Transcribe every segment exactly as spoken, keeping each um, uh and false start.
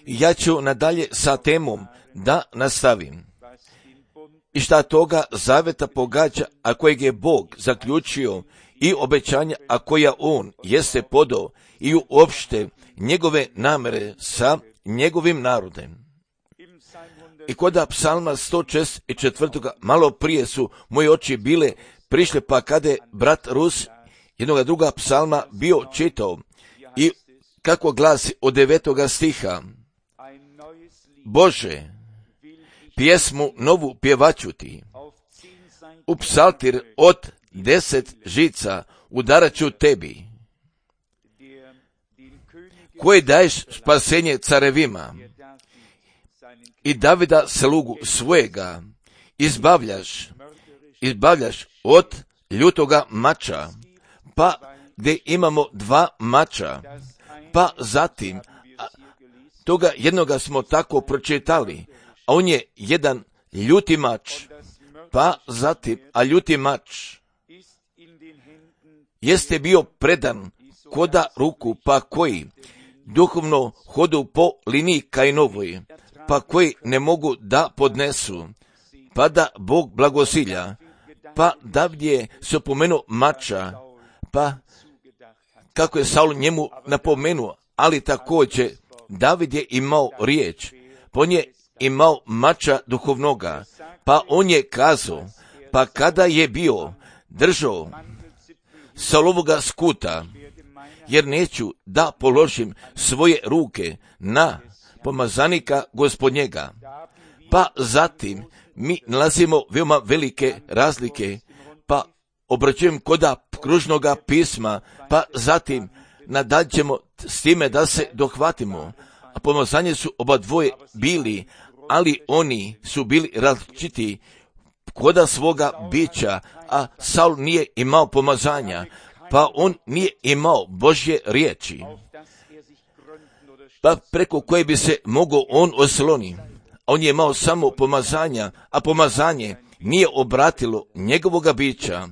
Ja ću nadalje sa temom da nastavim. I šta toga zaveta pogađa, a kojeg je Bog zaključio, i obećanja, a koja On jeste podao, i uopšte njegove namere sa njegovim narodem. I koda psalma sto šezdeset četiri. malo prije su moje oči bile prišle, pa kada je brat Rus jednoga druga psalma bio čitao, i kako glasi od devetoga stiha: Bože, pjesmu novu pjevaću ti, u psaltir od deset žica udarat ću tebi, koji daješ spasenje carevima i Davida slugu svojega izbavljaš, izbavljaš od ljutoga mača, pa gdje imamo dva mača, pa zatim toga jednoga smo tako pročitali, a on je jedan ljuti mač, pa zatim, a ljuti mač jeste bio predan koda ruku, pa koji duhovno hodu po liniji Kainovoj, pa koji ne mogu da podnesu, pa da Bog blagosilja, pa David je se opomenuo mača, pa kako je Saul njemu napomenuo, ali također David je imao riječ, pa on je imao mača duhovnoga, pa on je kazao, pa kada je bio držao Saulovoga skuta, jer neću da položim svoje ruke na pomazanika gospodnjega. Pa zatim mi nalazimo veoma velike razlike, pa obraćujem koda kružnoga pisma, pa zatim nadaljećemo s time da se dohvatimo. A pomazanje su oba dvoje bili, ali oni su bili različiti koda svoga bića, a Saul nije imao pomazanja, pa on nije imao Božje riječi, pa preko koje bi se mogao on osloni. On je imao samo pomazanja, a pomazanje nije obratilo njegovoga bića,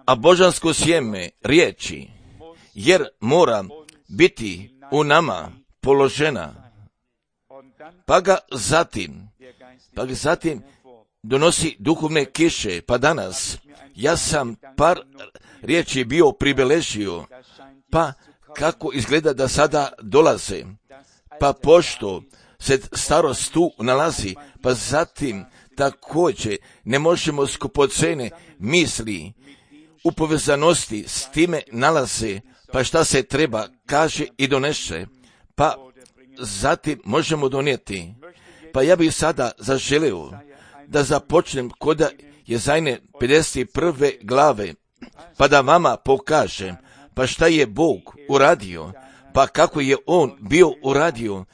a božansko sjeme riječi, jer mora biti u nama položena, pa ga zatim, pa ga zatim donosi duhovne kiše, pa danas ja sam par riječi bio pribeležio, pa kako izgleda da sada dolaze, pa pošto se starost tu nalazi, pa zatim također ne možemo skupocene misli u povezanosti s time nalaze, pa šta se treba kaže i donese, pa zatim možemo donijeti. Pa ja bih sada zaželio da započnem koda Jezajne pedeset prve glave, pa da vama pokažem pa šta je Bog uradio, pa kako je On bio uradio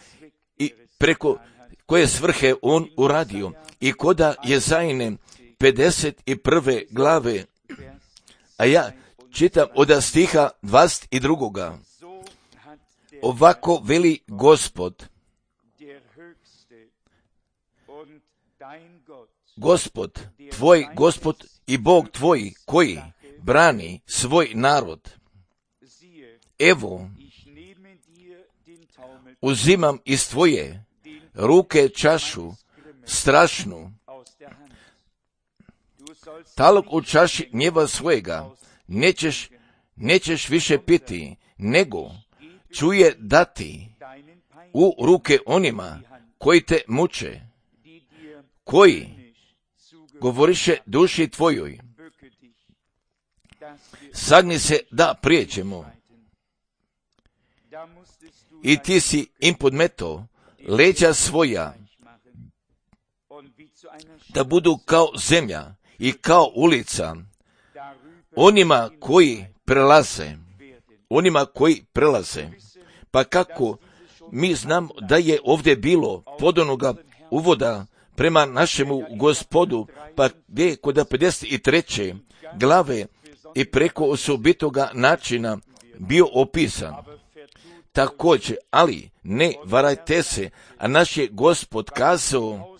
i preko koje svrhe On uradio. I koda Jezajne pedeset prve glave, a ja čitam od stiha dvadeset dva. Ovako veli Gospod, Gospod, tvoj Gospod i Bog tvoj koji brani svoj narod. Evo, uzimam iz tvoje ruke čašu strašnu, talog u čaši gnjeva svojega, nećeš, nećeš više piti, nego čuje dati u ruke onima koji te muče, koji govoriše duši tvojoj. Sagni se da prijeđemo. I ti si im podmeto leđa svoja, da budu kao zemlja i kao ulica onima koji prelaze, onima koji prelaze. Pa kako mi znam da je ovdje bilo podonoga uvoda prema našemu Gospodu, pa gdje kod pedeset treće glave i preko osobitoga načina bio opisan. Također, ali ne varajte se, a naš je Gospod kazao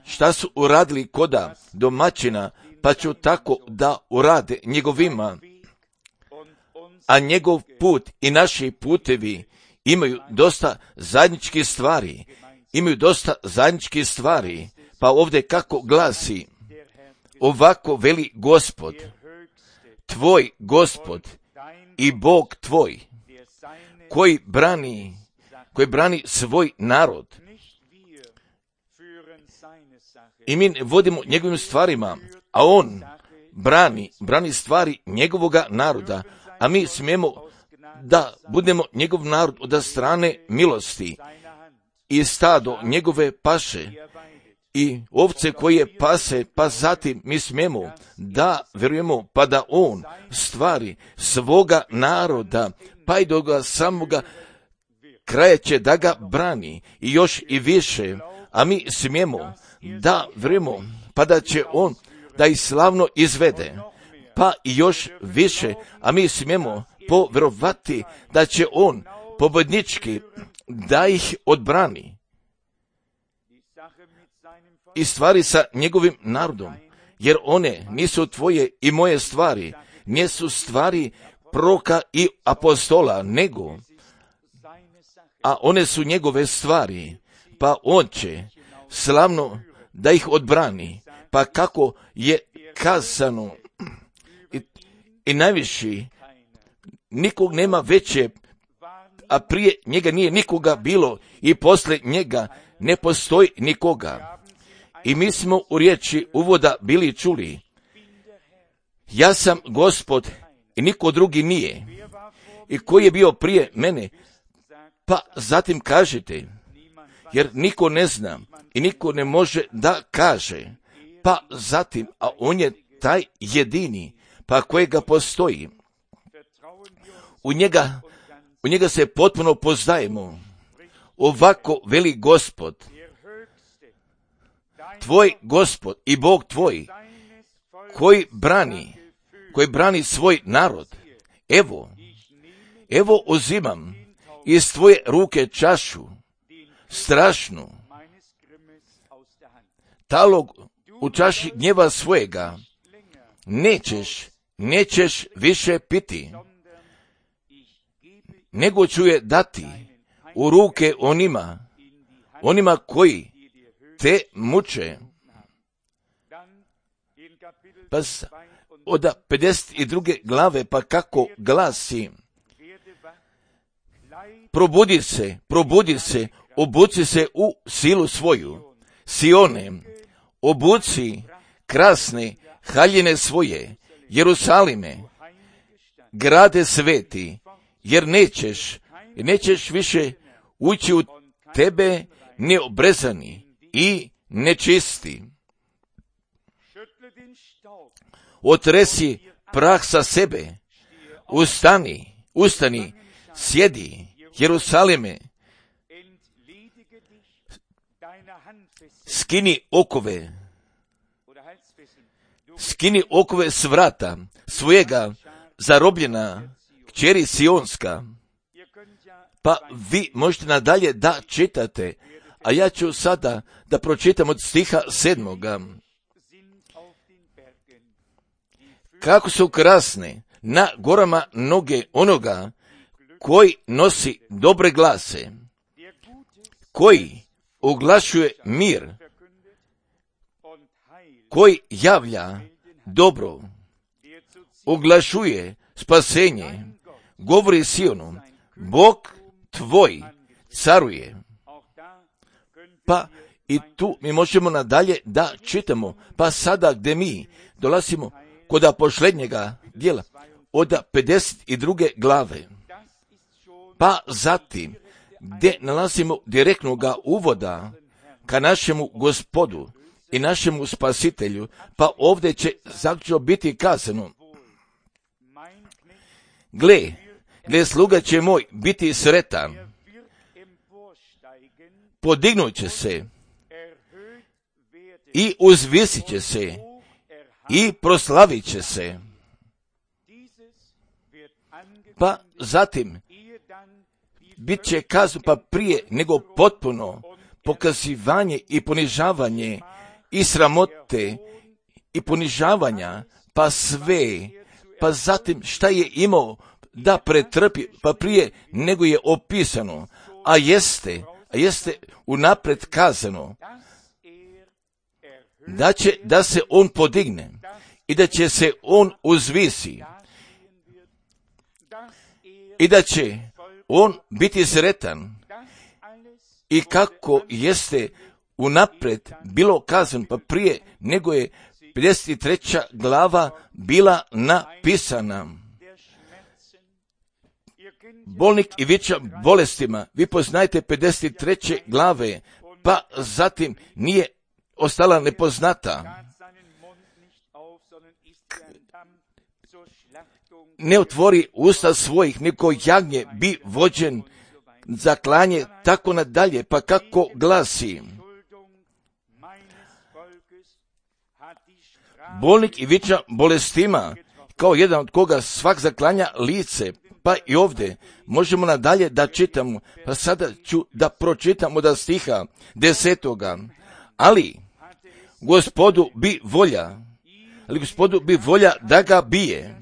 šta su uradili koda domaćina, pa ću tako da urade njegovima, a njegov put i naši putevi imaju dosta zajedničkih stvari, imaju dosta zajedničkih stvari, pa ovdje kako glasi, ovako veli Gospod, tvoj Gospod i Bog tvoj, koji brani, koji brani svoj narod. I mi vodimo njegovim stvarima, a on brani, brani stvari njegovoga naroda, a mi smijemo da budemo njegov narod od strane milosti i stado njegove paše i ovce koje pase, pa zatim mi smijemo da vjerujemo pa da on stvari svoga naroda, pa i do ga samoga kraja će da ga brani i još i više, a mi smijemo da vjerujemo pa da će on da ih slavno izvede, pa i još više, a mi smijemo povjerovati da će on pobjednički da ih odbrani i stvari sa njegovim narodom, jer one nisu tvoje i moje stvari, nisu stvari proroka i apostola, nego, a one su njegove stvari, pa on će slavno da ih odbrani, pa kako je kazano, i, i najviši, nikog nema veće, a prije njega nije nikoga bilo i poslije njega ne postoji nikoga. I mi smo u riječi uvoda bili čuli, ja sam Gospod i niko drugi nije. I koji je bio prije mene, pa zatim kažete, jer niko ne zna i niko ne može da kaže, pa zatim, a on je taj jedini, pa kojega postoji. U njega, u njega se potpuno poznajemo. Ovako veli Gospod, tvoj Gospod i Bog tvoj, koji brani, koji brani svoj narod. Evo, evo uzimam iz tvoje ruke čašu, strašnu, talog u čaši gnjeva svojega, nećeš, nećeš više piti, nego ću je dati u ruke onima, onima koji te muče. Pa od pedeset druge glave, pa kako glasi, probudi se, probudi se, obuci se u silu svoju, Sione, obuci krasne haljine svoje, Jerusalime, grade sveti, jer nećeš, nećeš više ući u tebe neobrezani i nečisti. Otresi prah sa sebe, ustani, ustani, sjedi, Jerusalime, skini okove, skini okove s vrata svojega zarobljena kćeri Sionska. Pa vi možete nadalje da čitate, a ja ću sada da pročitam od stiha sedmoga. Kako su krasne na gorama noge onoga koji nosi dobre glase, koji oglašuje mir, koji javlja dobro, oglašuje spasenje, govori Sionu, Bog tvoj caruje. Pa i tu mi možemo nadalje da čitamo, pa sada gdje mi dolazimo kod posljednjega dijela, od pedeset druge glave, pa zatim gdje nalazimo direktnoga uvoda ka našemu Gospodu i našemu Spasitelju, pa ovdje će zaključno biti kazano, gle, gle sluga će moj biti sretan, podignut će se i uzvisit će se i proslavit će se. Pa zatim bit će kazno, pa prije nego potpuno pokazivanje i ponižavanje i sramote i ponižavanja, pa sve, pa zatim šta je imao da pretrpi, pa prije nego je opisano, a jeste, a jeste unaprijed kazano, da će da se on podigne i da će se on uzvisi i da će on biti sretan i kako jeste unaprijed bilo kazano, pa prije nego je pedeset treća glava bila napisana. Bolnik i viča bolestima, vi poznajete pedeset treće glave, pa zatim nije ostala nepoznata. Ne otvori usta svojih, niko jagnje bi vođen za klanje, tako nadalje, pa kako glasi. Bolnik i viča bolestima, kao jedan od koga svak zaklanja lice, pa i ovdje možemo nadalje da čitamo, pa sada ću da pročitamo da stiha desetoga. Ali Gospodu bi volja, ali Gospodu bi volja da ga bije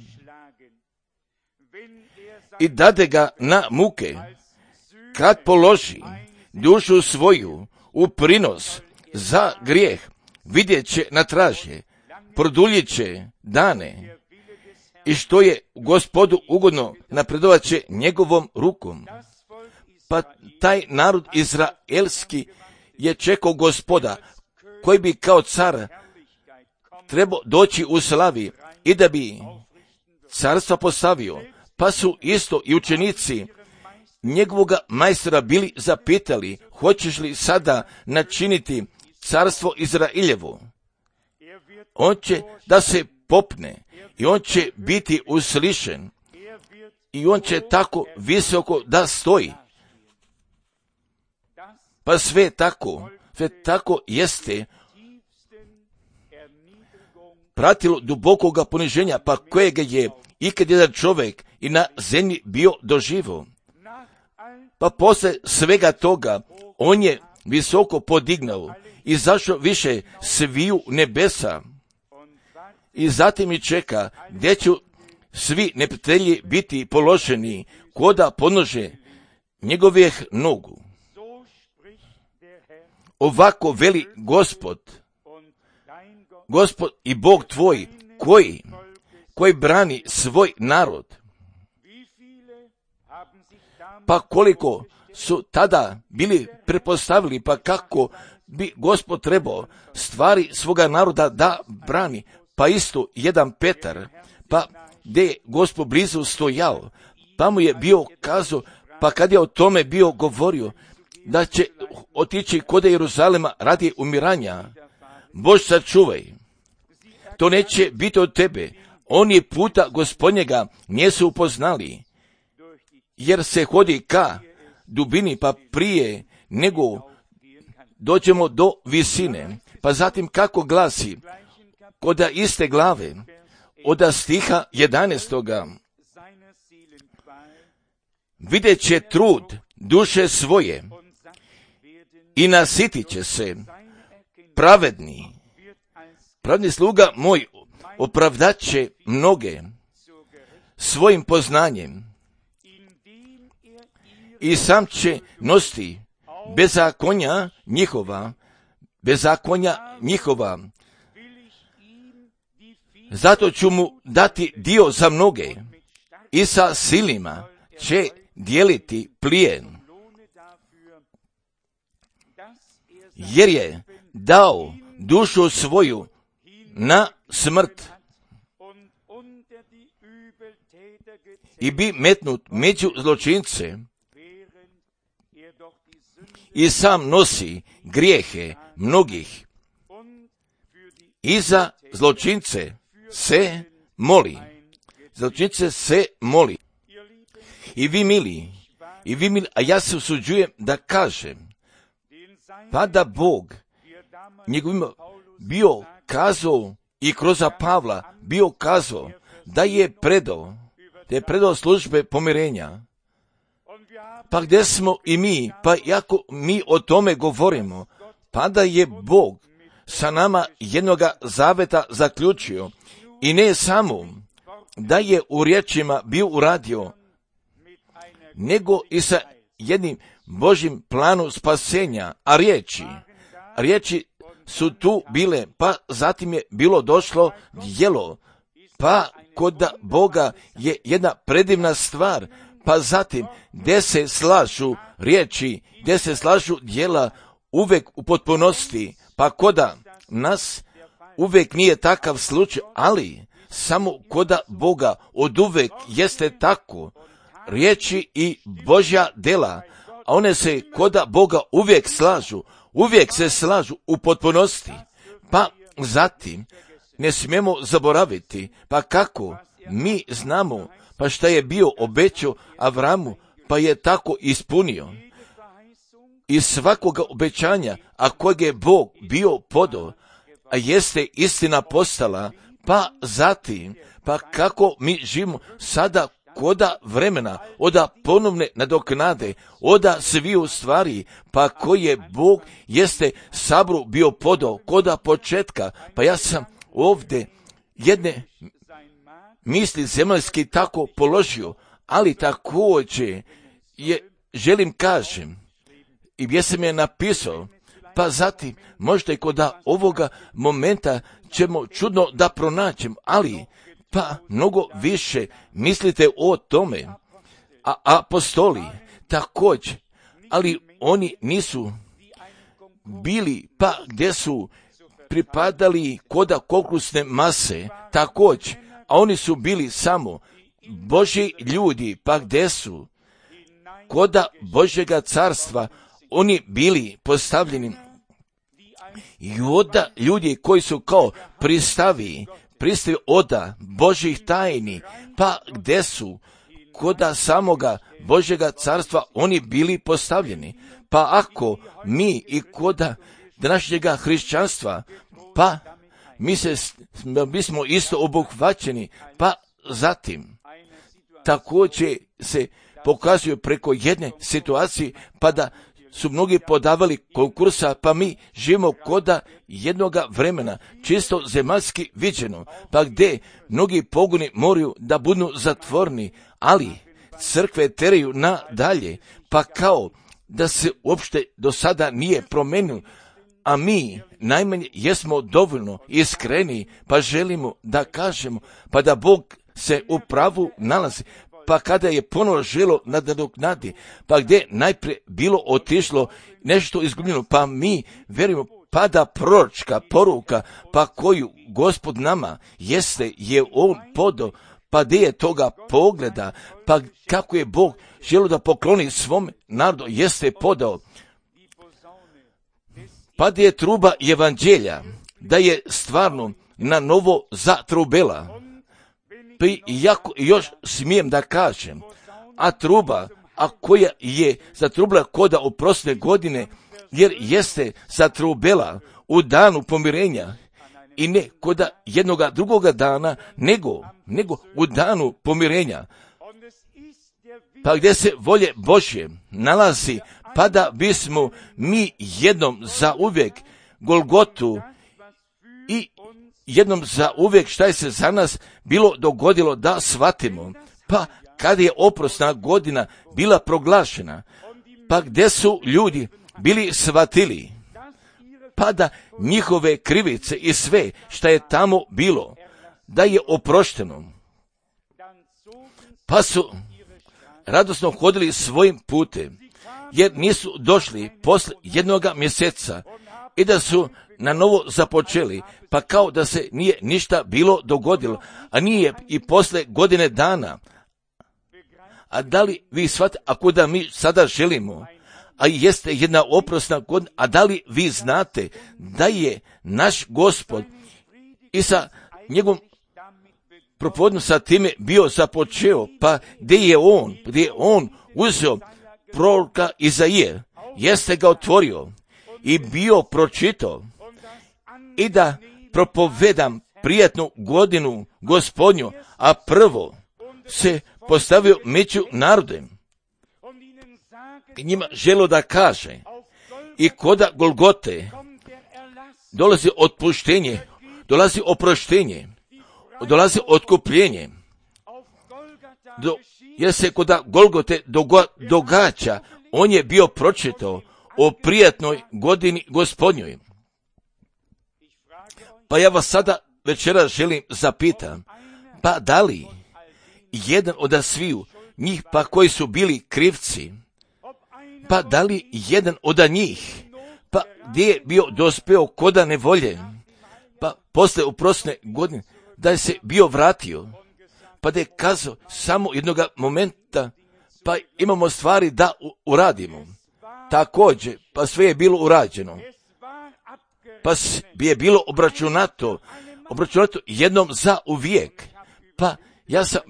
i dade ga na muke, kad položi dušu svoju u prinos za grijeh, vidjet će na traže, produljit će dane i što je Gospodu ugodno napredovat će njegovom rukom. Pa taj narod izraelski je čekao Gospoda, koji bi kao car trebao doći u slavi i da bi carstva postavio, pa su isto i učenici njegovoga majstora bili zapitali, hoćeš li sada načiniti carstvo Izraeljevo? On će da se popne i on će biti uslišen i on će tako visoko da stoji. Pa sve tako, sve tako jeste pratilo dubokoga poniženja, pa kojega je ikad jedan čovjek i na zemlji bio doživo. Pa posle svega toga on je visoko podignao i zašao više sviju nebesa. I zatim i čeka gdje će svi neprijatelji biti položeni koda podnože njegovih nogu. Ovako veli Gospod, Gospod i Bog tvoj, koji, koji brani svoj narod. Pa koliko su tada bili pretpostavili, pa kako bi Gospod trebao stvari svoga naroda da brani, pa isto jedan Petar, pa gdje je Gospod blizu stojao, pa mu je bio kazao, pa kad je o tome bio govorio, da će otići kod Jeruzalema radi umiranja, Bož sačuvaj, to neće biti od tebe, oni puta Gospodnjega nisu upoznali, jer se hodi ka dubini, pa prije nego dođemo do visine. Pa zatim kako glasi, koda iste glave, od stiha jedanaestoga. Vidjet će trud duše svoje i nasitit će se pravedni. Pravedni sluga moj opravdat će mnoge svojim poznanjem i sam će nositi bezakonja njihova, bezakonja njihova. Zato ću mu dati dio za mnoge i sa silima će dijeliti plijen. Jer je dao dušu svoju na smrt i bi metnut među zločince i sam nosi grijehe mnogih i za zločince se moli. Zločince se moli. I vi mili, i vi mili, a ja se usuđujem da kažem, pa da Bog njegovim bio kazao i kroz Pavla bio kazao da je predao, da je predao službe pomirenja. Pa gdje smo i mi, pa jako mi o tome govorimo, pa da je Bog sa nama jednoga zaveta zaključio i ne samo da je u riječima bio uradio, nego i sa jednim Božjim planom spasenja, a riječi, riječi su tu bile, pa zatim je bilo došlo djelo, pa kod Boga je jedna predivna stvar, pa zatim gdje se slažu riječi, gdje se slažu djela uvijek u potpunosti, pa koda nas uvijek nije takav slučaj, ali samo koda Boga od uvijek jeste tako, riječi i Božja djela, a one se koda Boga uvijek slažu, uvijek se slažu u potpunosti, pa zatim ne smijemo zaboraviti, pa kako mi znamo, pa šta je bio obećao Avramu, pa je tako ispunio. I svakoga obećanja, a kojeg je Bog bio podao, a jeste istina postala, pa zatim, pa kako mi živimo sada koda vremena, oda ponovne nadoknade, oda sviju stvari, pa koji je Bog jeste sabru bio podao koda početka, pa ja sam ovdje jedne misli zemaljski tako položio, ali također je, želim kažem, i gdje sam je napisao, pa zatim možda i kod ovoga momenta ćemo čudno da pronaćemo, ali pa mnogo više mislite o tome, a apostoli također, ali oni nisu bili, pa gdje su pripadali koda koklusne mase, također, a oni su bili samo Božji ljudi, pa gdje su koda Božjega carstva, oni bili postavljeni i oda ljudi koji su kao pristavi, pristavi oda Božjih tajni, pa gdje su koda samoga Božjega carstva oni bili postavljeni. Pa ako mi i koda današnjega hrišćanstva, pa mi se, mi smo isto obuhvaćeni, pa zatim također se pokazuju preko jedne situacije, pa da su mnogi podavali konkursa, pa mi živimo koda jednoga vremena, čisto zemaljski viđeno, pa gdje mnogi pogoni moraju da budu zatvorni, ali crkve teraju nadalje, pa kao da se uopšte do sada nije promenilo, a mi najmanje jesmo dovoljno iskreni, pa želimo da kažemo, pa da Bog se u pravu nalazi, pa kada je ponovo želo nadoknadi, pa gdje najprije bilo otišlo nešto izgubljeno, pa mi verujemo, pa da proročka poruka, pa koju Gospod nama jeste, je on podao, pa gdje je toga pogleda, pa kako je Bog želio da pokloni svom narodu, jeste podao, pa gdje je truba evanđelja, da je stvarno na novo zatrubela. Pa jako još smijem da kažem, a truba, a koja je zatrubila koda u prošle godine, jer jeste zatrubela u danu pomirenja i ne koda jednoga drugoga dana, nego, nego u danu pomirenja. Pa gdje se volje Božje nalazi, pa da bismo mi jednom za uvijek Golgotu i jednom za uvijek šta je se za nas bilo dogodilo da shvatimo, pa kada je oprosna godina bila proglašena, pa gdje su ljudi bili shvatili, pa da njihove krivice i sve šta je tamo bilo, da je oprošteno, pa su radosno hodili svojim putem, jer nisu došli posle jednoga mjeseca i da su na novo započeli, pa kao da se nije ništa bilo dogodilo, a nije i posle godine dana. A da li vi shvatite, ako da mi sada želimo, a jeste jedna oprosna godina, a da li vi znate da je naš Gospod i sa njegovom propovjedom sa time bio započeo, pa gdje je on, gdje je on uzeo proroka Izaije, jeste ga otvorio i bio pročitao i da propovedam prijatnu godinu Gospodnju, a prvo se postavio među narodem i njima želo da kaže i koda Golgote dolazi otpuštenje, dolazi oproštenje, dolazi otkupljenje. Do jer se kod Golgote dogo- događa, on je bio pročitao o prijatnoj godini Gospodnjoj. Pa ja vas sada večeras želim zapitam, pa da li jedan od sviju njih pa koji su bili krivci, pa da li jedan od njih, pa gdje je bio dospeo koda nevolje, pa posle uprosne godine da je se bio vratio, pa da je kazao samo jednog momenta, pa imamo stvari da uradimo. Također, pa sve je bilo urađeno. Pa bi je bilo obračunato, obračunato jednom za uvijek. Pa ja sam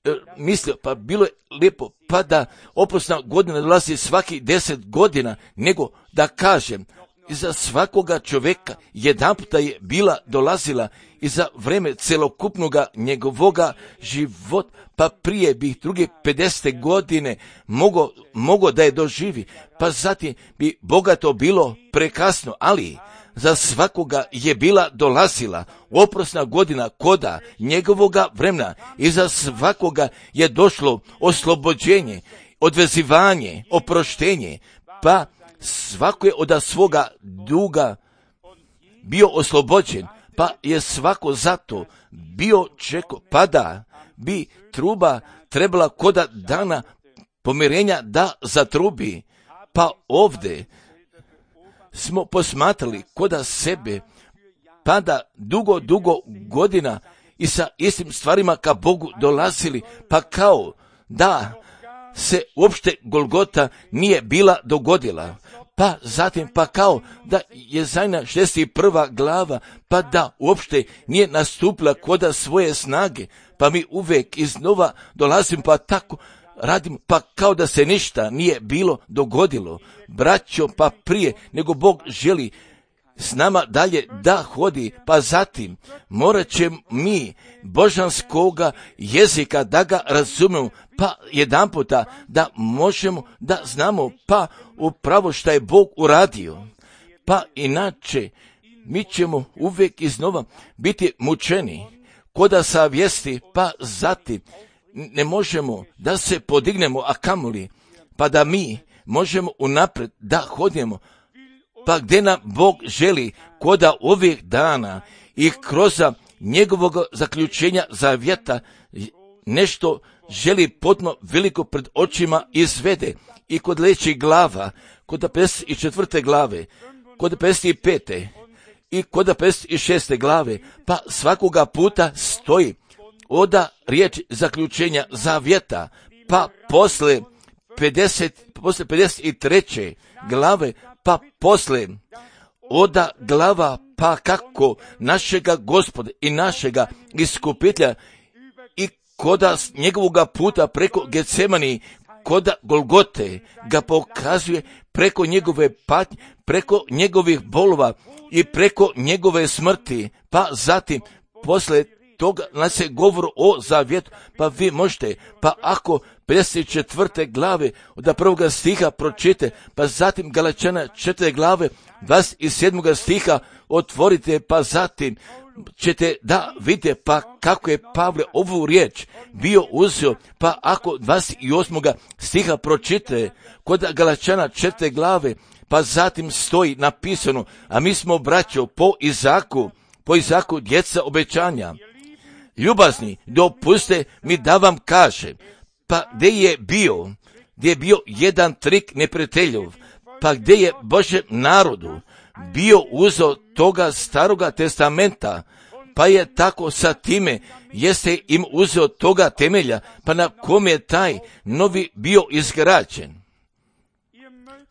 e, mislio, pa bilo je lijepo, pa da oprosna godina dolazi svaki deset godina, nego da kažem, iza svakoga čovjeka jedan puta je bila dolazila i za vreme celokupnoga njegovoga života, pa prije bi druge pedeset godine mogo, mogo da je doživi, pa zatim bi bogato bilo prekasno, ali za svakoga je bila dolazila oprosna godina koda njegovoga vremena i za svakoga je došlo oslobođenje, odvezivanje, oproštenje, pa svako je od svoga duga bio oslobođen, pa je svako zato bio čeko, pa da bi truba trebala koda dana pomirenja da zatrubi, pa ovdje smo posmatrali koda sebe, pa da dugo, dugo godina i sa istim stvarima ka Bogu dolazili, pa kao da se uopšte Golgota nije bila dogodila, pa zatim pa kao da je Jezajna šezdeset prva glava, pa da uopšte nije nastupila koda svoje snage, pa mi uvek iznova dolazim, pa tako radim, pa kao da se ništa nije bilo dogodilo. Braćo, pa prije nego Bog želi s nama dalje da hodi, pa zatim morat će mi božanskoga jezika da ga razumemo, pa jedan puta da možemo da znamo pa upravo šta je Bog uradio. Pa inače mi ćemo uvijek iznova biti mučeni koda savjesti, pa zatim ne možemo da se podignemo, a kamoli pa da mi možemo unapred da hodimo, pa gdje nam Bog želi koda ovih dana i kroz njegovog zaključenja zavjeta nešto želi potpuno veliko pred očima izvede i kod lećih glava, kod pedeset četvrte glave, kod pedeset pete i kod pedeset šeste glave, pa svakoga puta stoji oda riječ zaključenja zavjeta, pa posle pedeset, posle pedeset treće glave, pa posle oda glava, pa kako našega Gospoda i našega iskupitelja i koda njegovoga puta preko Getsemani, koda Golgote ga pokazuje preko njegove patnje, preko njegovih bolova i preko njegove smrti, pa zatim posle toga nas se govori o zavjetu, pa vi možete, pa ako pedeset četvrte glave od prvoga stiha pročite, pa zatim Galačana četvrte glave dvadeset sedmog stiha otvorite, pa zatim ćete da vidite pa kako je Pavle ovu riječ bio uzeo, pa ako dvadeset osmog stiha pročite kod Galačana četvrte glave, pa zatim stoji napisano, a mi smo braćo po Izaku, po Izaku djeca obećanja. Ljubazni, dopuste mi da vam kažem, pa gdje je bio, gdje je bio jedan trik neprijateljov, pa gdje je Božjem narodu bio uzeo toga staroga testamenta, pa je tako sa time, jeste im uzeo toga temelja, pa na kom je taj novi bio izgrađen.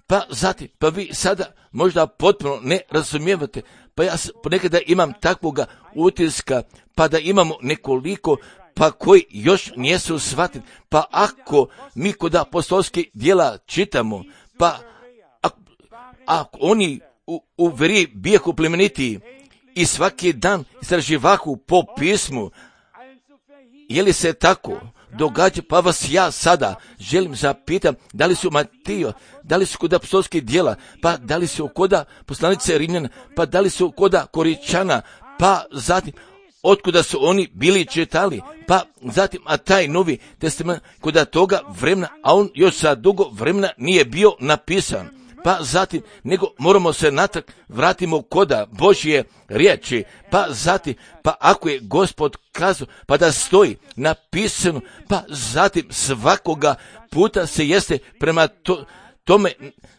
Pa zatim, pa vi sada možda potpuno ne razumijevate, pa ja ponekada imam takvoga utiska, pa da imamo nekoliko, pa koji još nijesu shvatili, pa ako mi kod apostolskih djela čitamo, pa ako, ako oni u, u veri bijehu plemenitiji i svaki dan istraživahu po pismu, je li se tako događa, pa vas ja sada želim zapitam, da li su Matijo, da li su kod apostolskih djela, pa da li su kod poslanice Rimljana, pa da li su kod Koričana, pa zatim otkuda su oni bili čitali, pa zatim, a taj Novi Testament kuda toga vremena, a on još za dugo vremena nije bio napisan. Pa zatim, nego moramo se natrag vratimo koda Božje riječi, pa zatim, pa ako je Gospod kazao, pa da stoji napisano, pa zatim svakoga puta se jeste prema to, tome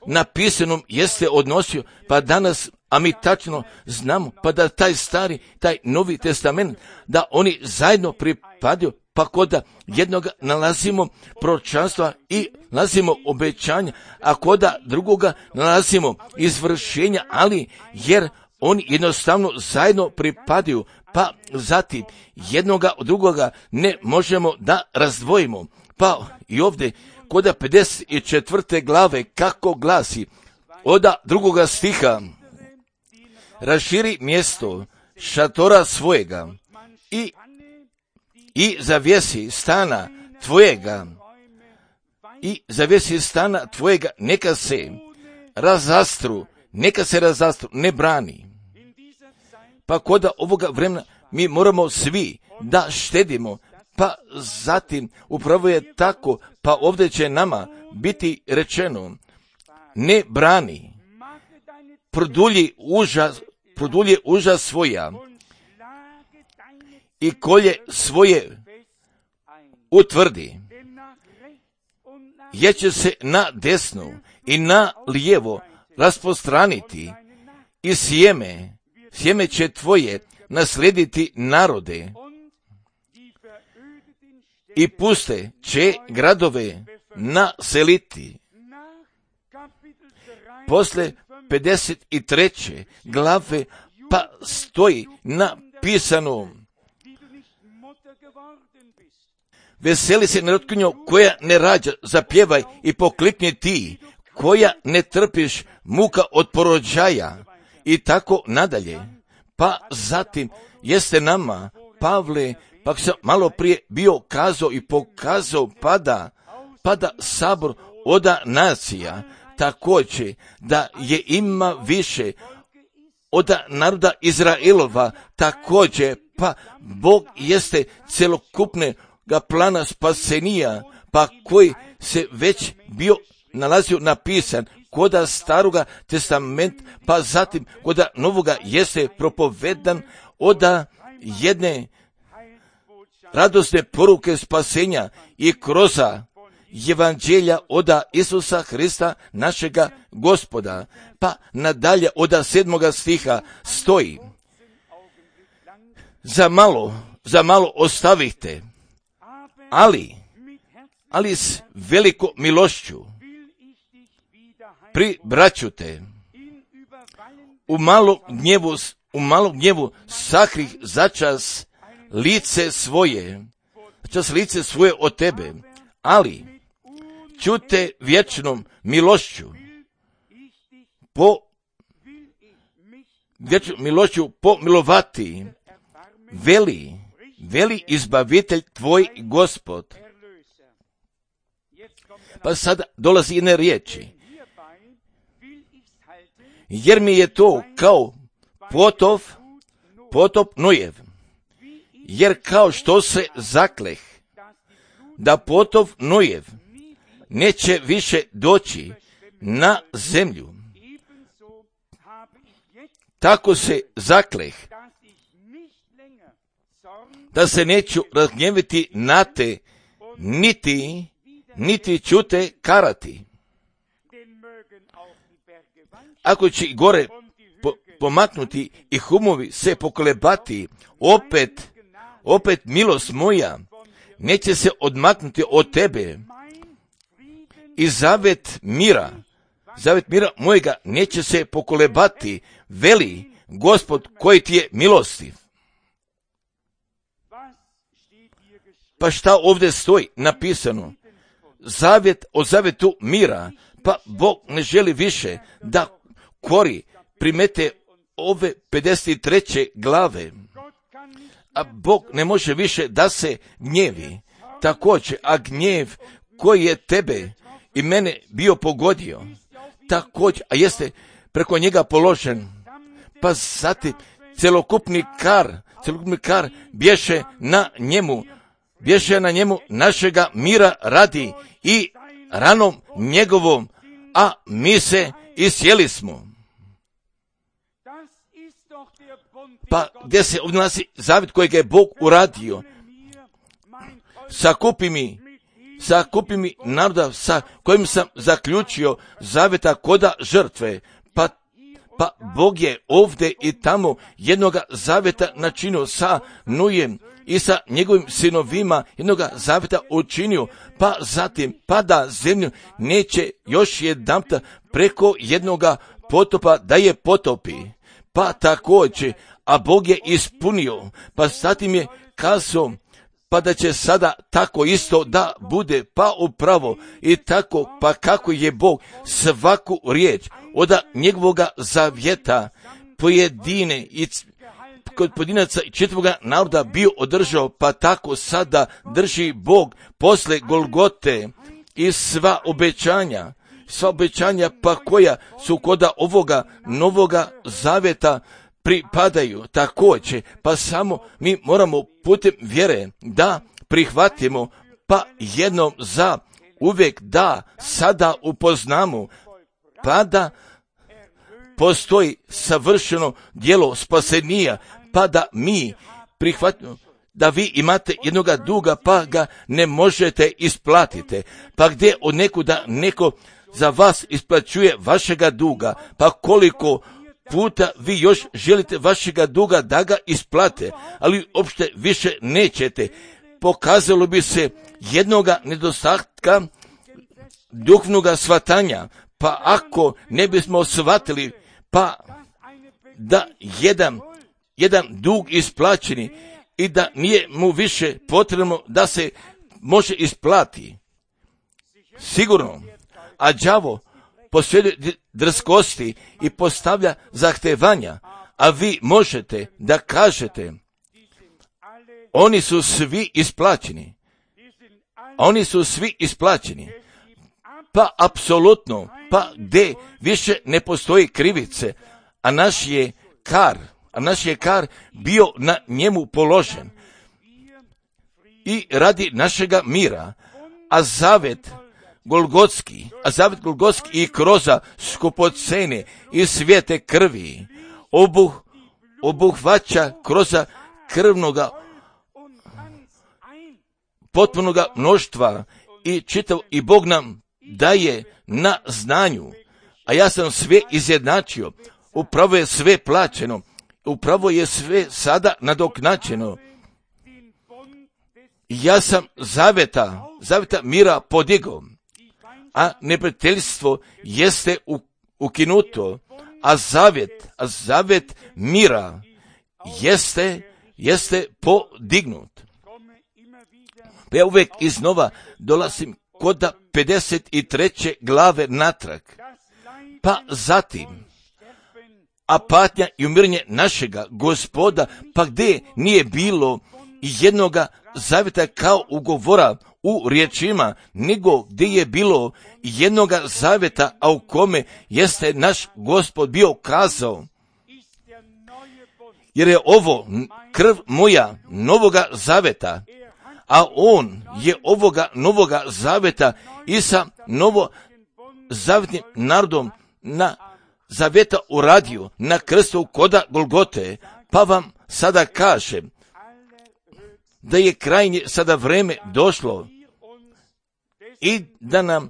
napisanom jeste odnosio, pa danas, a mi tačno znamo, pa da taj stari, taj Novi Testament, da oni zajedno pripadaju, pa koda jednoga nalazimo proročanstva i nalazimo obećanja, a koda drugoga nalazimo izvršenja, ali jer oni jednostavno zajedno pripadaju, pa zatim jednoga od drugoga ne možemo da razdvojimo. Pa i ovdje koda pedeset četvrte glave kako glasi, oda drugoga stiha, raširi mjesto šatora svojega i i zavjesi stana tvojega i zavjesi stana tvojega, neka se razastru, neka se razastru, ne brani. Pa koda ovoga vremena mi moramo svi da štedimo, pa zatim upravo je tako, pa ovdje će nama biti rečeno, ne brani, produlji užas, produlji užas svoja i kolje svoje utvrdi, jer će se na desnu i na lijevo raspostraniti i sjeme, sjeme će tvoje naslijediti narode i puste će gradove naseliti. Posle pedeset treće glave pa stoji napisano, veseli se narotkinjo koja ne rađa, zapjevaj i poklipni ti, koja ne trpiš muka od porođaja i tako nadalje. Pa zatim jeste nama, Pavle, pa sam malo prije bio kazao i pokazao, pada, pada sabor oda nacija, također da je ima više od naroda Izraelova, također, pa Bog jeste celokupne ga plana spasenija, pa koji se već bio nalazio napisan koda staroga testamenta, pa zatim koda novoga jeste propovedan oda jedne radosne poruke spasenja i kroza evanđelja oda Isusa Hrista našega Gospoda. Pa nadalje oda sedmoga stiha stoji, za malo, za malo ostavite, ali, ali s veliko milošću pribraću te, u malom gnjevu, u malom gnjevu sakrih začas lice svoje, čas lice svoje od tebe, ali ću te vječnom milošću po vječnom milošću pomilovati, veli, veli izbavitelj tvoj Gospod. Pa sada dolazi jedne riječi, jer mi je to kao potop, potop Nojev, jer kao što se zakleh da potop Nojev neće više doći na zemlju, tako se zakleh da se neću razgnjeviti na te, niti, niti ću te karati. Ako će gore po, pomaknuti i humovi se pokolebati, opet, opet milost moja neće se odmaknuti od tebe i zavet mira, zavet mira mojega neće se pokolebati, veli Gospod koji ti je milostiv. Pa šta ovdje stoji napisano? Zavjet o zavjetu mira, pa Bog ne želi više da kori primete ove pedeset treće glave, a Bog ne može više da se gnjevi. Također, a gnjev koji je tebe i mene bio pogodio, također, a jeste preko njega položen, pa zatim celokupni kar, celokupni kar bješe na njemu, bješe na njemu našega mira radi i ranom njegovom, a mi se isjeli smo. Pa gdje se odnosi zavjet kojeg je Bog uradio? Sakupi mi, sakupi mi naroda sa kojim sam zaključio zavjeta koda žrtve. Pa, pa Bog je ovdje i tamo jednoga zavjeta načinio sa Nujem i sa njegovim sinovima, jednoga zavjeta učinio, pa zatim pada zemlju neće još jedanputa preko jednoga potopa da je potopi. Pa također, a Bog je ispunio, pa zatim je kazao, pa da će sada tako isto da bude, pa upravo i tako, pa kako je Bog svaku riječ od njegovoga zavjeta pojedine i kod pojedinaca i čitavoga naroda bio održao, pa tako sada drži Bog posle Golgote i sva obećanja, sva obećanja pa koja su koda ovoga novoga zavjeta pripadaju također, pa samo mi moramo putem vjere da prihvatimo, pa jednom za uvijek da sada upoznamo, pa da postoji savršeno djelo spasenija, pa da mi prihvatimo da vi imate jednoga duga pa ga ne možete isplatiti, pa gdje od nekuda neko za vas isplaćuje vašega duga, pa koliko puta vi još želite vašega duga da ga isplate, ali uopšte više nećete. Pokazalo bi se jednoga nedostatka duhovnoga shvatanja, pa ako ne bismo shvatili, pa da jedan, jedan dug isplaćeni i da nije mu više potrebno da se može isplati. Sigurno, a đavo posjeduje drskosti i postavlja zahtevanja, a vi možete da kažete, oni su svi isplaćeni. Oni su svi isplaćeni. Pa apsolutno, pa gdje više ne postoji krivice, a naš je kar, a naš je kar bio na njemu položen i radi našega mira, a zavet Golgotski, a zavet Golgotski i kroza skupocene i svijete krvi obuh, obuhvaća kroza krvnoga potpunoga mnoštva i čitav i Bog nam daje na znanju, a ja sam sve izjednačio, upravo je sve plaćeno, upravo je sve sada nadoknačeno. Ja sam zaveta, zaveta mira podigao, a neprijateljstvo jeste ukinuto, a zavjet, a zavjet mira jeste, jeste podignut. Pa ja uvijek iznova dolazim kod pedeset treće glave natrag, pa zatim, a patnja i umiranje našega Gospoda, pa gdje nije bilo jednoga zavjeta kao ugovora u riječima, nego gdje je bilo jednoga zavjeta, a u kome jeste naš Gospod bio kazao, jer je ovo krv moja novoga zavjeta, a on je ovoga novoga zavjeta i sa novo zavjetnim narodom na zavjeta uradio na krstu koda Golgote, pa vam sada kažem da je krajnje sada vreme došlo i da nam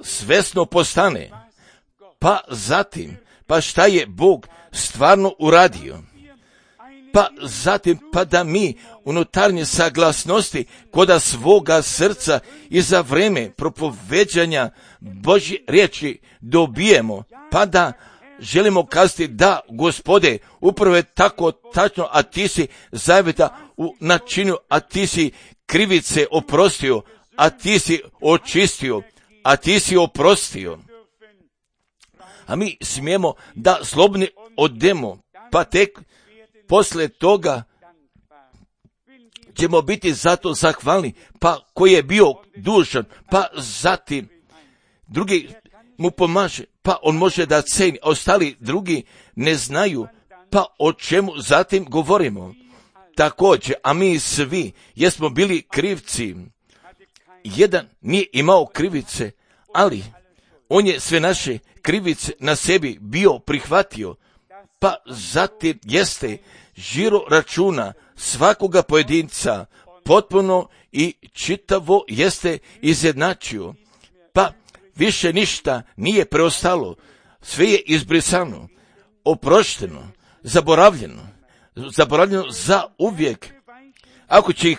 svesno postane, pa zatim, pa šta je Bog stvarno uradio, pa zatim, pa da mi unutarnje saglasnosti koda svoga srca i za vreme propoveđanja Božje riječi dobijemo, pa da želimo kazati da, Gospode, upravo je tako tačno, a ti si zavjeta u načinu, a ti si krivice oprostio, a ti si očistio, a ti si oprostio. A mi smijemo da slobodni odemo, pa tek posle toga ćemo biti zato zahvalni, pa koji je bio dužan, pa zatim drugi mu pomaže, pa on može da ceni, a ostali drugi ne znaju, pa o čemu zatim govorimo. također, a mi svi jesmo bili krivci. Jedan nije imao krivice, ali on je sve naše krivice na sebi bio prihvatio, pa zatim jeste žiro računa svakoga pojedinca potpuno i čitavo jeste izjednačio, pa više ništa nije preostalo, sve je izbrisano, oprošteno, zaboravljeno, zaboravljeno za uvijek. Ako će, ih,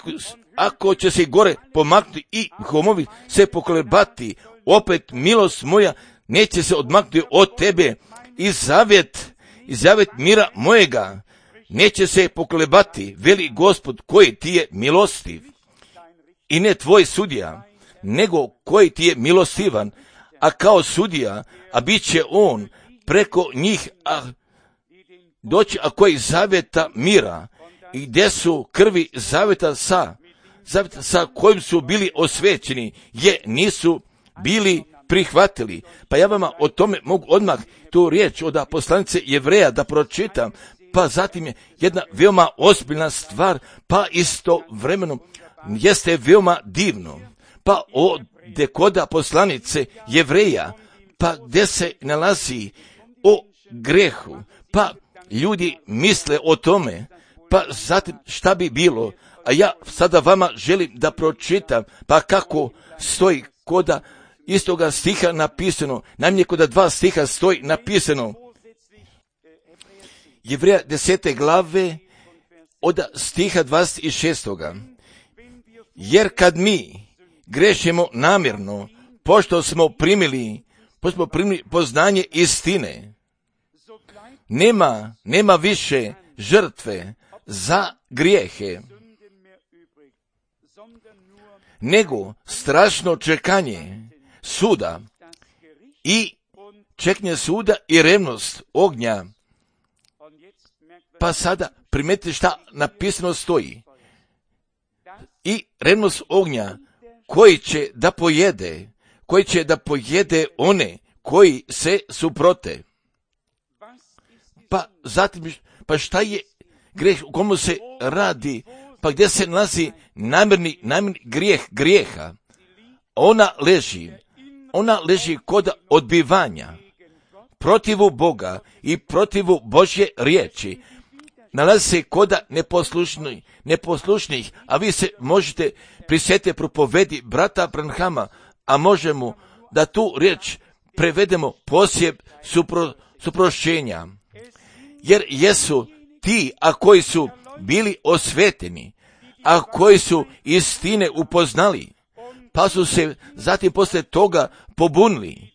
ako će se i gore pomaknuti i homovi se pokolebati, opet milost moja neće se odmaknuti od tebe i zavjet, i zavjet mira mojega neće se pokolebati, veli Gospod koji ti je milostiv i ne tvoj sudija, nego koji ti je milostivan, a kao sudija, a bit će on preko njih, a doći, a koji zavjeta mira, i gdje su krvi zavjeta sa, zavjeta sa kojim su bili osvećeni, je nisu bili prihvatili. Pa ja vama o tome mogu odmah tu riječ od poslanice Jevreja da pročitam, pa zatim je jedna veoma ozbiljna stvar, pa istovremeno jeste veoma divno. Pa ovdje kod poslanice Jevreja, pa gdje se nalazi o grehu, pa ljudi misle o tome, pa zatim šta bi bilo, a ja sada vama želim da pročitam, pa kako stoji koda istoga stiha napisano, najmanje koda dva stiha stoji napisano. Jevreja desete glave od stiha dvadeset šest. Jer kad mi grešimo namjerno, pošto smo primili, pošto smo primili poznanje istine, nema, nema više žrtve za grijehe, nego strašno čekanje suda i čekanje suda i revnost ognja. Pa sada primetite šta napisano stoji. I revnost ognja koji će da pojede, koji će da pojede one koji se suprote. Pa zatim, pa šta je grijeh, u komu se radi, pa gdje se nalazi namjerni, namjerni grijeh grijeha? Ona leži, ona leži kod odbivanja protivu Boga i protivu Božje riječi. Nalazi se koda neposlušnih, neposlušnih, a vi se možete prisjetiti propovedi brata Branhama, a možemo da tu riječ prevedemo posjeb supro, suprošćenja. Jer jesu ti, a koji su bili osveteni, a koji su istine upoznali, pa su se zatim poslije toga pobunili,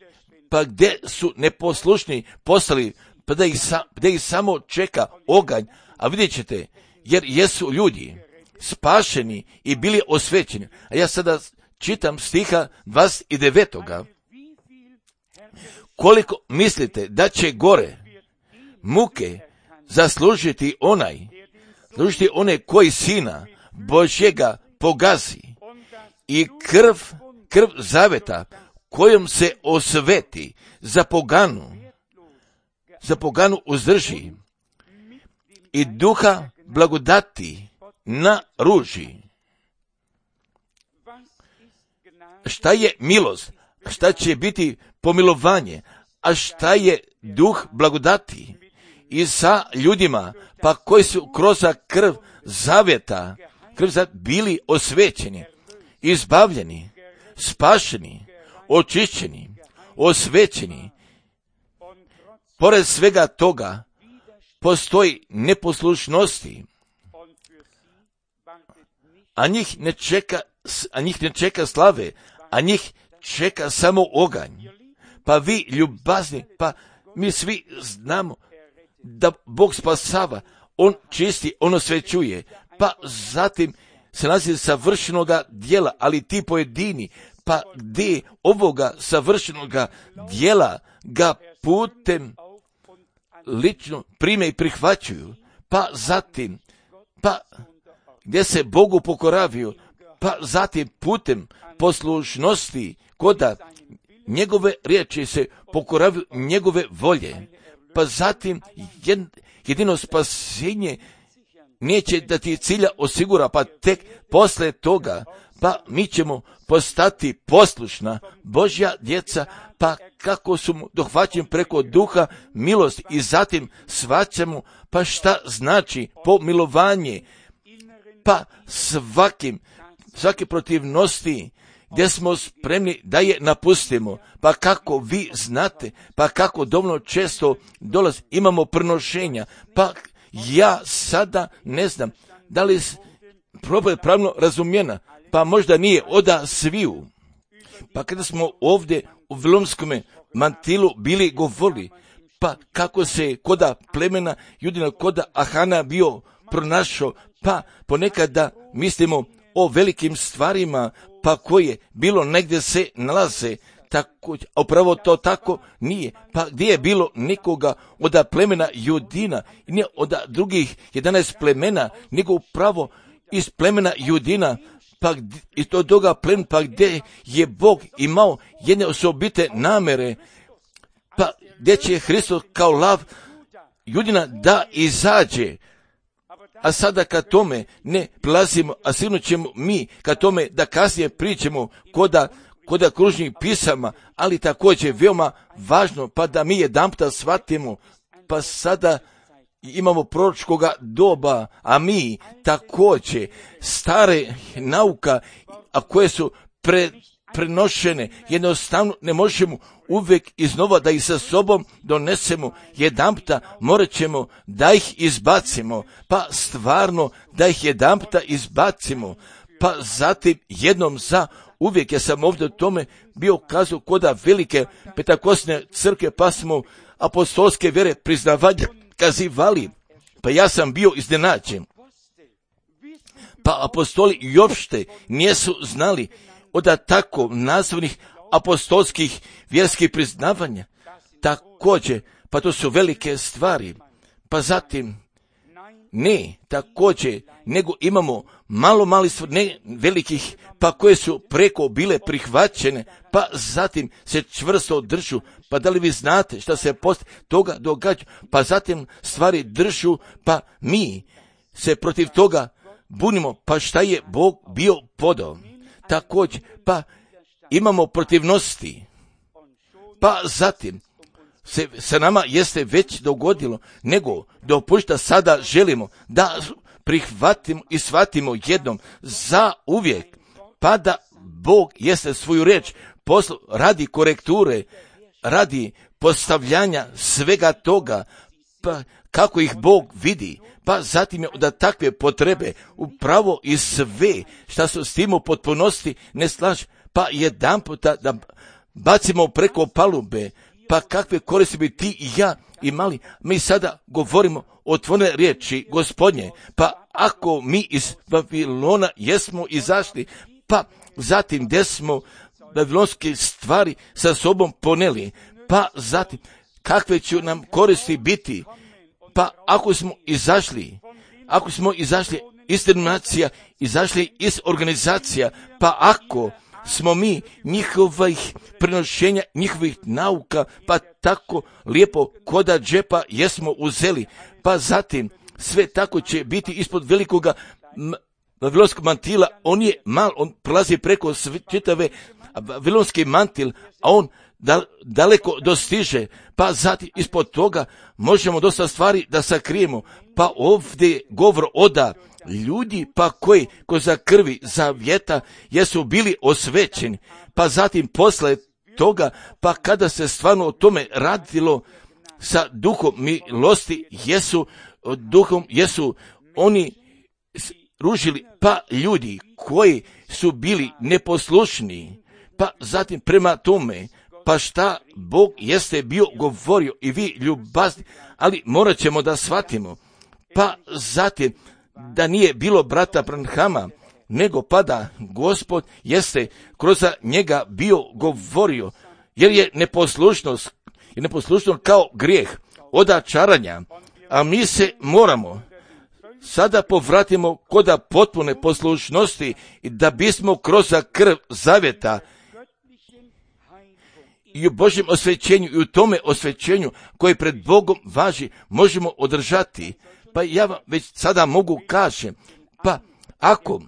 pa gdje su neposlušni postali, pa da ih, sa, da ih samo čeka oganj, a vidjet ćete, jer jesu ljudi spašeni i bili osvećeni. A ja sada čitam stiha dvadeset devet. Koliko mislite da će gore muke zaslužiti onaj, zaslužiti one koji sina Božjega pogazi i krv, krv zaveta kojom se osveti za poganu, za poganu uzdrži i duha blagodati na ruži. Šta je milost? Šta će biti pomilovanje? A šta je duh blagodati? I sa ljudima, pa koji su kroz krv zavjeta, krv zavjeta bili osvećeni, izbavljeni, spašeni, očišćeni, osvećeni. Pored svega toga, postoji neposlušnosti, a njih ne čeka, a njih ne čeka slave, a njih čeka samo oganj. Pa vi ljubazni, pa mi svi znamo da Bog spasava, On čisti, On osvećuje, pa zatim se nalazi savršenoga djela, ali ti pojedini, pa gdje ovoga savršenoga djela ga putem lično prime i prihvaćuju, pa zatim, pa gdje se Bogu pokoravaju, pa zatim putem poslušnosti koda njegove riječi se pokoravaju njegove volje, pa zatim jedino spasenje neće da ti cilja osigura, pa tek posle toga, pa mi ćemo postati poslušna Božja djeca, pa kako su mu dohvaćeni preko duha milosti i zatim shvaćamo pa šta znači pomilovanje, pa svakim, svake protivnosti gdje smo spremni da je napustimo, pa kako vi znate, pa kako dovoljno često dolazi, imamo prenošenja, pa ja sada ne znam da li probaj pravno razumijena, pa možda nije oda sviju. Pa kada smo ovdje u Vilomskome mantilu bili govorili, pa kako se koda plemena Judina, koda Ahana bio pronašao, pa ponekada mislimo o velikim stvarima, pa koje bilo negdje se nalaze, tako, a upravo to tako nije. Pa gdje je bilo nikoga od plemena Judina, nije od drugih jedanaest plemena, nego upravo iz plemena Judina, pa iz toga plemena, pa gdje je Bog imao jedne osobite namere, pa gdje će Hristos kao lav Judina da izađe. A sada kad tome ne prilazimo, a sigurno ćemo mi kad tome da kasnije pričamo koda, koda kružnih pisama, ali također veoma važno, pa da mi jedanputa shvatimo, pa sada imamo proročkoga doba, a mi također stare nauka, a koje su pre, prenošene, jednostavno ne možemo uvijek iznova da ih sa sobom donesemo, jedanputa morat ćemo da ih izbacimo, pa stvarno da ih jedanputa izbacimo, pa zatim jednom za uvijek. Ja sam ovdje o tome bio kazao koda velike petakosne crkve, pa smo apostolske vjere priznavanja kazivali, pa ja sam bio iznenađen. Pa apostoli i uopšte nisu znali od tako nazvanih apostolskih vjerskih priznavanja. Također, pa to su velike stvari. Pa zatim, ne, također, nego imamo malo mali stvari, ne velikih, pa koje su preko bile prihvaćene, pa zatim se čvrsto držu. Pa da li vi znate šta se poslije toga događa? Pa zatim stvari držu, pa mi se protiv toga bunimo, pa šta je Bog bio podao. Također, pa imamo protivnosti, pa zatim se sa nama jeste već dogodilo, nego dopušta sada želimo da prihvatimo i shvatimo jednom za uvijek, pa da Bog jeste svoju riječ poslao radi korekture, radi postavljanja svega toga, pa kako ih Bog vidi, pa zatim je da takve potrebe upravo i sve šta su s tim u potpunosti ne slaže, pa jedan puta da bacimo preko palube, pa kakve koristi bi ti i ja imali. Mi sada govorimo o otvorene riječi Gospodnje, pa ako mi iz Babilona jesmo izašli, pa zatim gdje smo babilonske stvari sa sobom poneli, pa zatim kakve će nam koristi biti, pa ako smo izašli, ako smo izašli iz denominacija, izašli iz organizacija, pa ako smo mi njihovih prenošenja, njihovih nauka, pa tako lijepo koda džepa jesmo uzeli, pa zatim sve tako će biti ispod velikoga vavilonskog mantila. On je mal, on prolazi preko čitave vavilonski mantil, a on da, daleko dostiže, pa zatim ispod toga možemo dosta stvari da sakrijemo. Pa ovdje govor oda ljudi pa koji ko za krvi zavjeta jesu bili osvećeni, pa zatim posle toga, pa kada se stvarno o tome radilo sa duhom milosti, jesu duhom, jesu oni ružili, pa ljudi koji su bili neposlušni, pa zatim prema tome, pa šta Bog jeste bio govorio i vi ljubazni, ali morat ćemo da shvatimo, pa zatim da nije bilo brata Branhama, nego pa da Gospod jeste kroz njega bio govorio, jer je neposlušnost, je neposlušnost kao grijeh od čaranja, a mi se moramo sada povratimo koda potpune poslušnosti da bismo kroz krv zavjeta i u Božjem osvećenju i u tome osvećenju koje pred Bogom važi možemo održati, Pa ja vam već sada mogu kažem, pa ako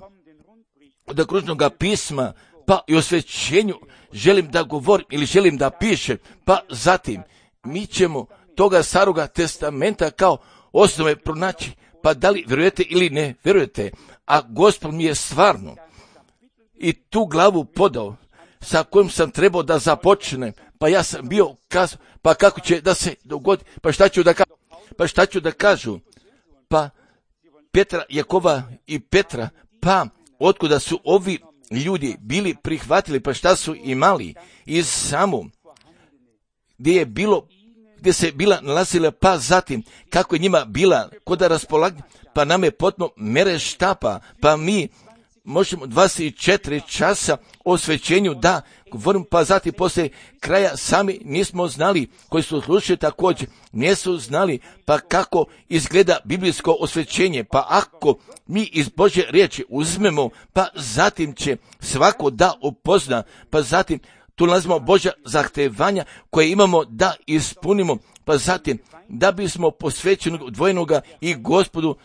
od kružnog pisma, pa i o svećenju želim da govorim ili želim da pišem, pa zatim mi ćemo toga staroga testamenta kao osnove pronaći, pa da li vjerujete ili ne vjerujete, a Gospod mi je stvarno i tu glavu podao sa kojom sam trebao da započnem, pa ja sam bio kazao, pa kako će da se dogodi, pa šta ću da kažu, pa šta ću da kažu, pa Petra, Jakova i Petra, pa otkuda su ovi ljudi bili prihvatili, pa šta su imali iz samu, gdje je bilo, gdje se bila nalazila, pa zatim kako je njima bila koda raspolaganja, pa nam je potno mere štapa, pa mi možemo dvadeset četiri časa o svećenju da govorim, pa zatim poslije kraja sami nismo znali, koji su slušali također nisu znali, pa kako izgleda biblijsko osvećenje, pa ako mi iz Božje riječi uzmemo, pa zatim će svako da upozna, pa zatim tu nalazimo Božja zahtevanja koje imamo da ispunimo, pa zatim da bismo posvećenog dvojenoga i Gospodu,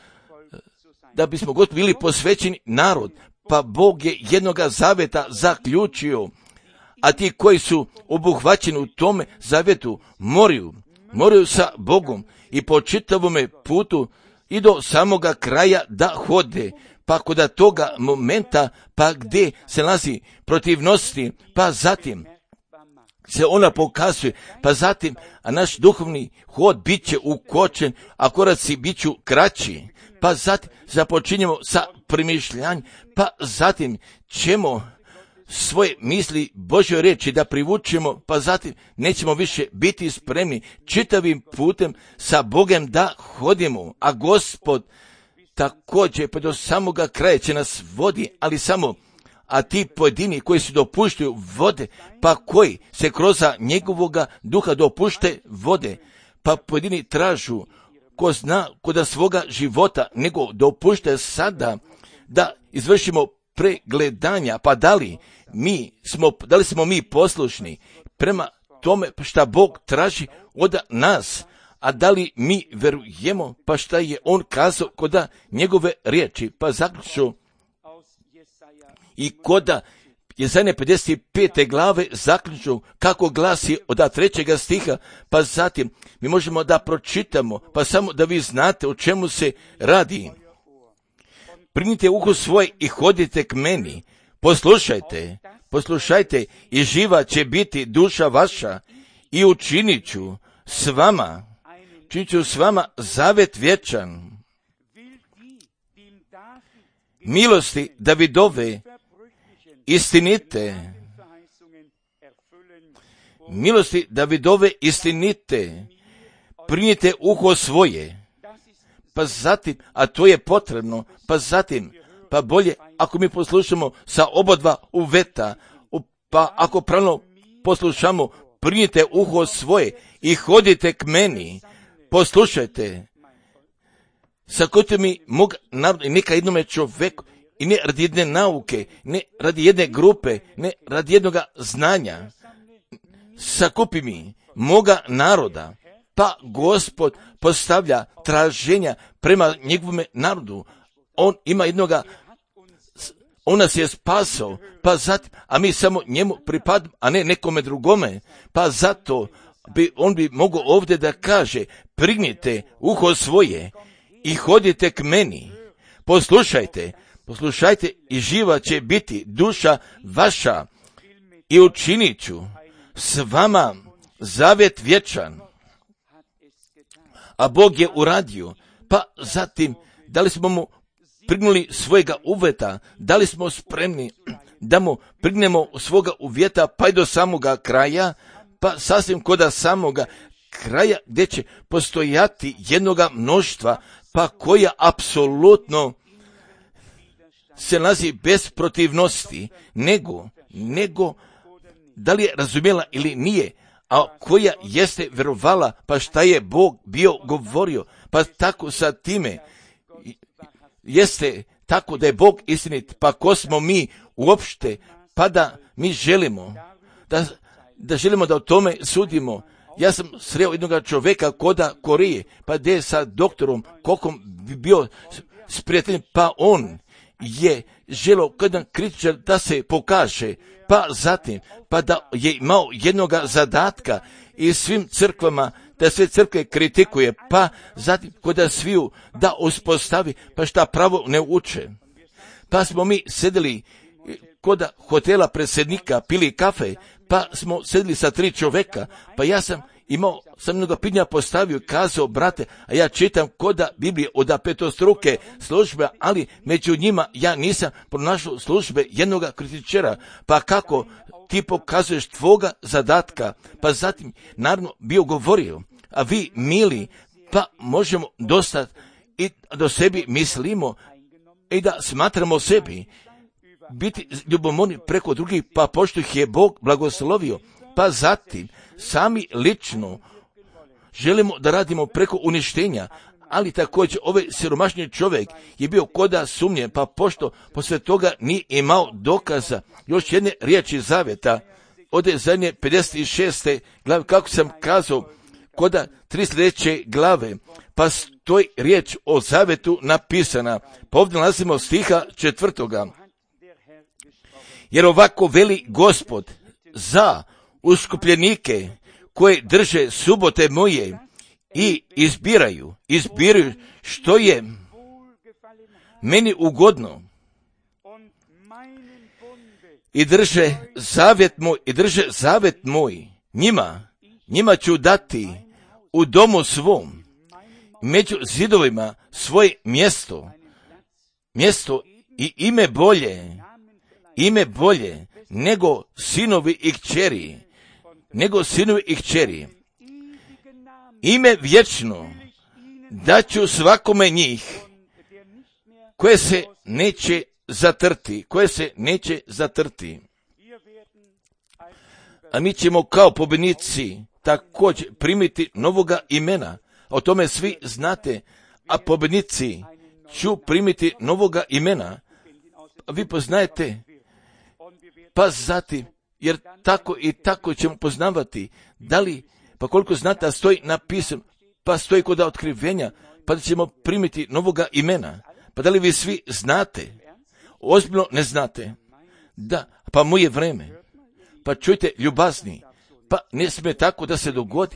da bismo Gospodu bili posvećeni narod, pa Bog je jednoga zaveta zaključio, a ti koji su obuhvaćeni u tome zavetu moraju, moraju sa Bogom i po čitavome putu i do samoga kraja da hode, pa kod toga momenta, pa gdje se nalazi protivnosti, pa zatim se ona pokazuje, pa zatim, a naš duhovni hod bit će ukočen, a koraci bit ću kraći, pa zatim započinjemo sa premišljanjem, pa zatim ćemo svoje misli Božjoj riječi da privučemo, pa zatim nećemo više biti spremni čitavim putem sa Bogom da hodimo, a Gospod također pa do samoga kraja će nas vodi, ali samo, a ti pojedini koji se dopuštaju vode, pa koji se kroz njegovoga duha dopušte vode, pa pojedini tražu ko zna koda svoga života, nego dopušte sada da izvršimo pregledanja, pa da li mi smo, da li smo mi poslušni prema tome šta Bog traži od nas, a da li mi verujemo, pa šta je on kazao koda njegove riječi, pa zaključno i koda Jesaja pedeset pete glave zaključno kako glasi od trećega stiha, pa zatim mi možemo da pročitamo, pa samo da vi znate o čemu se radi. Prignite uho svoje i hodite k meni, poslušajte, poslušajte i živa će biti duša vaša i učinit ću s vama, činit ću s vama zavet vječan. Milosti Davidove istinite, milosti Davidove istinite, prignite uho svoje, pa zatim, a to je potrebno, pa zatim, pa bolje ako mi poslušamo sa obodva uveta, pa ako pravno poslušamo, prignite uho svoje i hodite k meni, poslušajte, sakojte mi mog naroda i neka jednome čoveku, i ne radi jedne nauke, ne radi jedne grupe, ne radi jednoga znanja. Sakupi mi moga naroda, pa Gospod postavlja traženja prema njegovome narodu. On ima jednoga, on nas je spasao, pa zatim, a mi samo njemu pripadamo, a ne nekome drugome, pa zato bi, on bi mogao ovdje da kaže, prignite uho svoje i hodite k meni, poslušajte, poslušajte i živa će biti duša vaša i učinit ću s vama zavjet vječan. A Bog je uradio, pa zatim, da li smo mu prignuli svojega uvjeta, da li smo spremni da mu prignemo svoga uvjeta pa i do samoga kraja, pa sasvim koda samoga kraja gdje će postojati jednoga mnoštva, pa koja apsolutno se nalazi bez protivnosti, nego, nego, da li je razumjela ili nije, a koja jeste vjerovala, pa šta je Bog bio govorio, pa tako sa time, jeste tako da je Bog istinit, pa ko smo mi uopšte, pa da mi želimo, da, da želimo da o tome sudimo, Ja sam sreo jednog čovjeka koda Koreje, pa gdje je sa doktorom Kokom bio s prijateljem, pa on je želio kada kritičar da se pokaže, pa zatim, pa da je imao jednoga zadatka i svim crkvama, da sve crkve kritikuje, pa zatim kod sviju da uspostavi, pa šta pravo ne uče. Pa smo mi sedeli kod hotela predsjednika, pili kafe, pa smo sedeli sa tri čovjeka, pa ja sam imao, sam mnogo pitanja postavio, kazao, brate, a ja čitam koda Biblije od petostruke službe, ali među njima ja nisam pronašao službe jednoga kritičara, pa kako ti pokazuješ tvoga zadatka, pa zatim naravno bio govorio, a vi mili, pa možemo dosta i do sebi mislimo i da smatramo sebi, biti ljubomorni preko drugih, pa pošto ih je Bog blagoslovio, pa zatim sami lično želimo da radimo preko uništenja, ali također ovaj siromašni čovjek je bio koda sumnje, pa pošto posle toga nije imao dokaza, još jedne riječi zavjeta, ode zadnje pedeset šeste glave, kako sam kazao, koda tri sljedeće glave, pa stoji riječ o zavjetu napisana, pa ovdje nalazimo stiha četvrtoga. Jer ovako veli Gospod za uskupljenike koje drže subote moje i izbiraju, izbiraju što je meni ugodno i drže zavjet moj, i drže zavjet moj, njima, njima ću dati u domu svom, među zidovima svoje mjesto, mjesto i ime bolje, ime bolje nego sinovi i kćeri, nego sinovi i kćeri. Ime vječno daću svakome njih koje se neće zatrti, koje se neće zatrti. A mi ćemo kao pobjednici također primiti novoga imena. O tome svi znate, a pobjednici ću primiti novoga imena. A vi poznajete, pa zatim, jer tako i tako ćemo poznavati, da li, pa koliko znate, da stoji napisano, pa stoji kod otkrivenja, pa da ćemo primiti novoga imena. Pa da li vi svi znate? Ozbiljno ne znate. Da, pa moje vreme. Pa čujte, ljubazni, pa ne smije tako da se dogodi,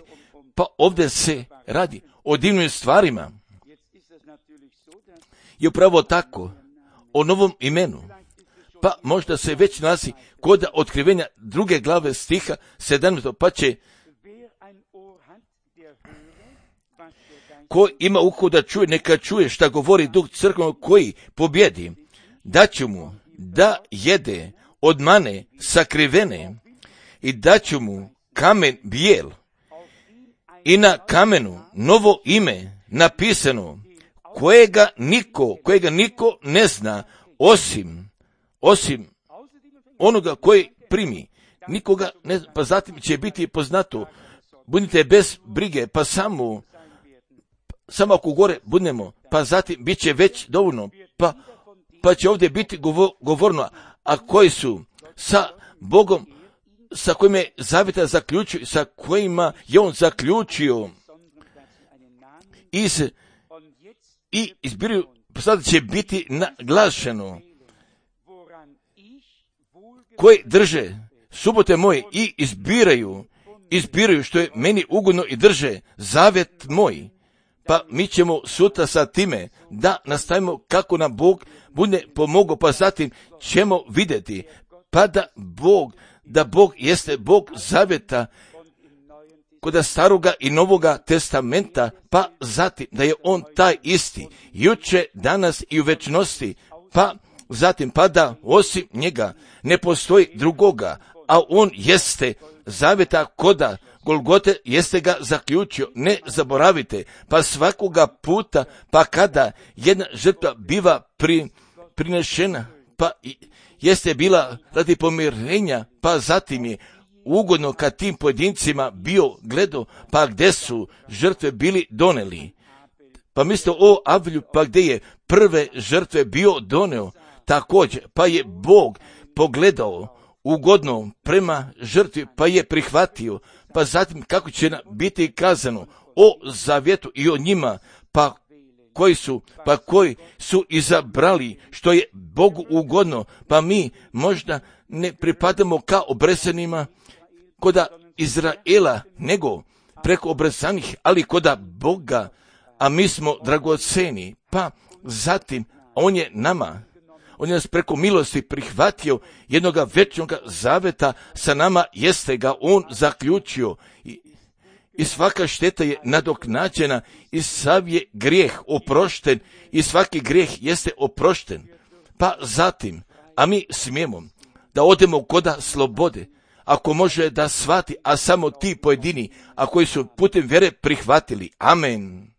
pa ovdje se radi o divnim stvarima. I upravo tako, o novom imenu, pa možda se već nalazi kod otkrivenja druge glave stiha sedamnaestog, pa će ko ima uho da čuje, neka čuje šta govori Duh crkvenog koji pobjedi, daću mu da jede od mane sakrivene i daću mu kamen bijel i na kamenu novo ime napisano kojega niko, kojega niko ne zna osim, osim onoga koji primi. Nikoga ne zna, pa zatim će biti poznato. Budite bez brige, pa samo samo ako gore budemo, pa zatim bit će već dovoljno, pa, pa će ovdje biti govo, govorno, a koji su sa Bogom, sa kojima je zavjeta zaključio, sa kojima je on zaključio iz, i izbiruju, sada će biti naglašeno, koji drže subote moje i izbiraju, izbiraju što je meni ugodno i drže zavjet moj. Pa mi ćemo sutra sa time da nastavimo kako nam Bog bude pomogao, pa zatim ćemo vidjeti, pa da Bog, da Bog jeste Bog zavjeta kod staroga i novoga testamenta, pa zatim da je on taj isti, juče, danas i u večnosti, pa zatim pa da osim njega ne postoji drugoga, a on jeste zavjeta koda Golgote jeste ga zaključio, ne zaboravite, pa svakoga puta, pa kada jedna žrtva biva pri, prinešena, pa jeste bila radi pomirenja, pa zatim je ugodno kad tim pojedincima bio gledao, pa gdje su žrtve bili doneli. Pa mislite o Avlju, pa gdje je prve žrtve bio doneo, također, pa je Bog pogledao ugodno prema žrtvi, pa je prihvatio, pa zatim kako će biti kazano o zavjetu i o njima, pa koji su, pa koji su izabrali što je Bogu ugodno, pa mi možda ne pripadamo kao obresanima koda Izraela, nego preko obrezanih, ali koda Boga, a mi smo dragoceni, pa zatim on je nama, on je nas preko milosti prihvatio jednoga večnog zaveta sa nama, jeste ga on zaključio i, i svaka šteta je nadoknađena i sav je grijeh oprošten i svaki grijeh jeste oprošten. Pa zatim, a mi smijemo da odemo koda slobode, ako može da shvati, a samo ti pojedini, a koji su putem vjere prihvatili. Amen.